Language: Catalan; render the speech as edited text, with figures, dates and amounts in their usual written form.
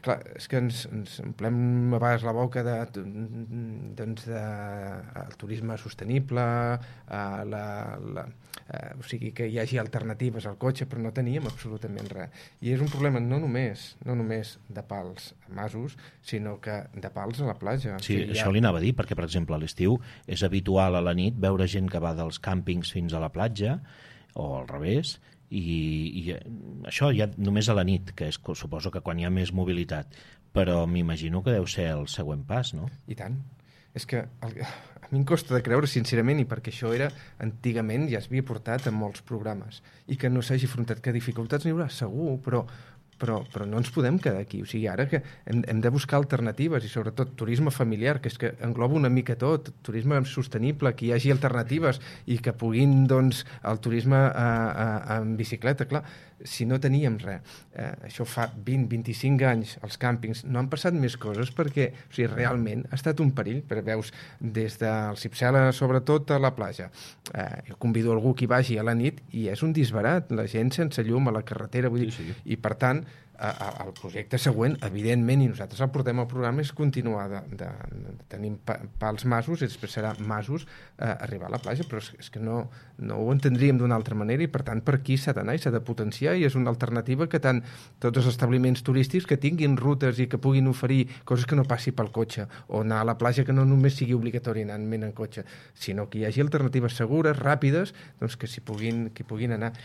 Clar, és que ens omplem a vegades la boca de el turisme sostenible, o sigui, que hi hagi alternatives al cotxe, però no teníem absolutament res. I és un problema no només de pals a masos, sinó que de pals a la platja. Sí, això li anava a dir, perquè, per exemple, a l'estiu és habitual a la nit veure gent que va dels càmpings fins a la platja, o al revés, i això ja només a la nit, que és, suposo que quan hi ha més mobilitat, però m'imagino que deu ser el següent pas, no? I tant. És que a mi em costa de creure, sincerament, i perquè això era antigament, ja s'havia portat en molts programes, i que no s'hagi afrontat, que dificultats n'hi haurà, segur, però no ens podem quedar aquí. O sigui, ara que hem de buscar alternatives, i sobretot turisme familiar, que és que engloba una mica tot, turisme sostenible, que hi hagi alternatives i que puguin, doncs, el turisme en bicicleta, clar, si no teníem res. Això fa 20-25 anys, els càmpings, no han passat més coses perquè, o sigui, realment ha estat un perill, però veus des del Cipsela, sobretot, a la platja. Jo convido algú que hi vagi a la nit i és un disbarat, la gent sense llum a la carretera, vull dir, sí. I per tant, el projecte següent, evidentment, i nosaltres el portem al programa, és continuar tenim pals masos, i després serà masos arribar a la platja, però és que no ho entendríem d'una altra manera, i per tant per aquí s'ha d'anar i s'ha de potenciar, i és una alternativa que tant tots els establiments turístics que tinguin rutes i que puguin oferir coses que no passi pel cotxe, o anar a la platja que no només sigui obligatori anar en cotxe, sinó que hi hagi alternatives segures, ràpides, doncs que hi puguin anar.